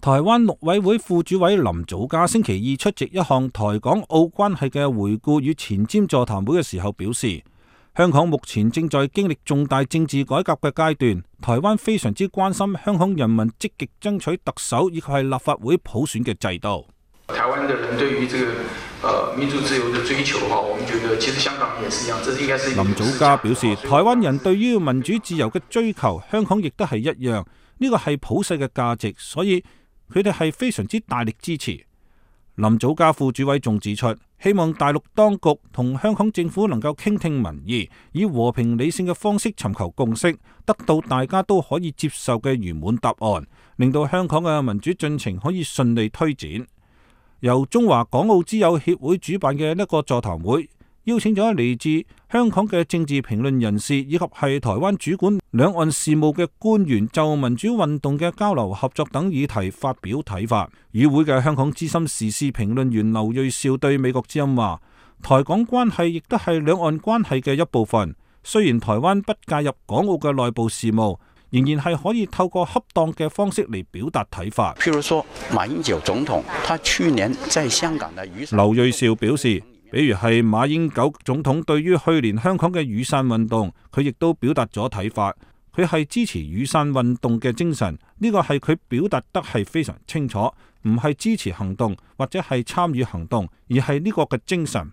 台灣陸委會副主委林祖嘉星期二出席一項台港澳關係嘅回顧與前瞻座談會嘅時候表示，香港目前正在經歷重大政治改革嘅階段，台灣非常之關心香港人民積極爭取特首以及係立法會普選嘅制度。台灣的人對於這個民主自由的追求，我們覺得其實香港也是一樣，這應該是林祖嘉表示，台灣人對於民主自由嘅追求，香港亦都係一樣，呢個係普世嘅價值，所以佢哋係非常之大力支持。林祖嘉副主委仲指出，希望大陸當局同香港政府能夠傾聽民意，以和平理性嘅方式尋求共識，得到大家都可以接受嘅圓滿答案，令到香港嘅民主進程可以順利推展。由中華港澳之友協會主辦嘅一個座談會，邀請咗嚟自香港嘅政治評論人士以及係台灣主管兩岸事務嘅官員，就民主運動嘅交流合作等議題發表睇法。與會嘅香港資深時事評論員劉銳紹對美國之音話，台港關係亦都係兩岸關係嘅一部分，雖然台灣不介入港澳嘅內部事務，仍然係可以透過恰當嘅方式嚟表達睇法。譬如說馬英九總統，他去年在香港的雨傘。劉銳紹表示，比如係馬英九總統對於去年香港嘅雨傘運動，佢亦都表達咗睇法。佢係支持雨傘運動嘅精神，呢個係佢表達得係非常清楚，唔係支持行動或者係參與行動，而係呢個嘅精神。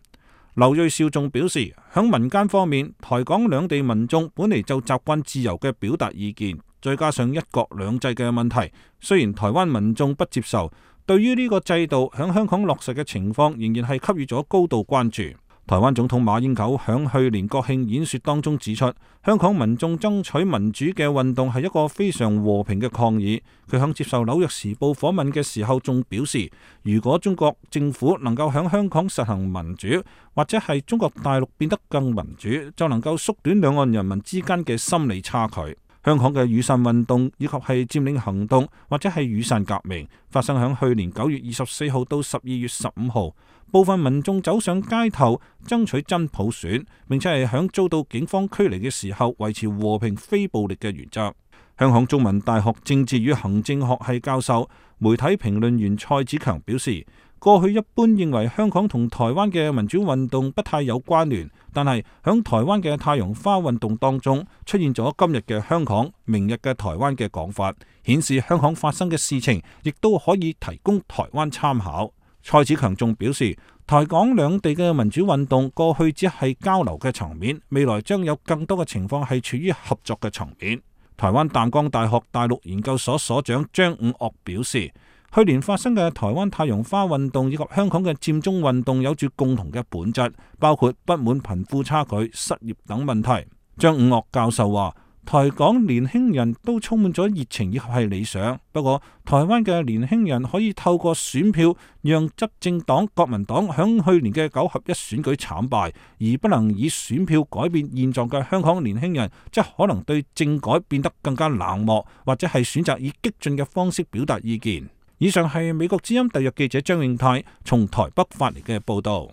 劉銳紹仲表示，響民間方面，台港兩地民眾本嚟就習慣自由嘅表達意見，再加上一國兩制嘅問題，雖然台灣民眾不接受，對於呢個制度響香港落實嘅情況，仍然係給予咗高度關注。台灣總統馬英九響去年國慶演說當中指出，香港民眾爭取民主嘅運動係一個非常和平嘅抗議。佢響接受紐約時報訪問嘅時候仲表示，如果中國政府能夠響香港實行民主，或者係中國大陸變得更民主，就能夠縮短兩岸人民之間嘅心理差距。香港嘅雨傘運動以及係佔領行動或者係雨傘革命，發生響去年9月24號到12月15號，部分民眾走上街頭爭取真普選，並且係響遭到警方驅離嘅時候維持和平非暴力嘅原則。香港中文大學政治與行政學系教授、媒體評論員蔡子強表示，過去一般認為香港同台灣嘅民主運動不太有關聯，但係響台灣嘅太陽花運動當中出現咗今日嘅香港、明日嘅台灣嘅講法，顯示香港發生嘅事情亦都可以提供台灣參考。蔡子強仲表示，台港兩地嘅民主運動過去只係交流嘅層面，未來將有更多嘅情況係處於合作嘅層面。台灣淡江大學大陸研究所所長張五岳表示，去年發生嘅台灣太陽花運動以及香港嘅佔中運動有住共同嘅本質，包括不滿貧富差距、失業等問題。張五岳教授話，台港年輕人都充滿咗熱情以及係理想，不過台灣嘅年輕人可以透過選票讓執政黨國民黨響去年嘅9合1選舉慘敗，而不能以選票改變現狀嘅香港年輕人，則可能對政改變得更加冷漠，或者係選擇以激進嘅方式表達意見。以上係美國之音特約記者張永泰從台北發嚟嘅報道。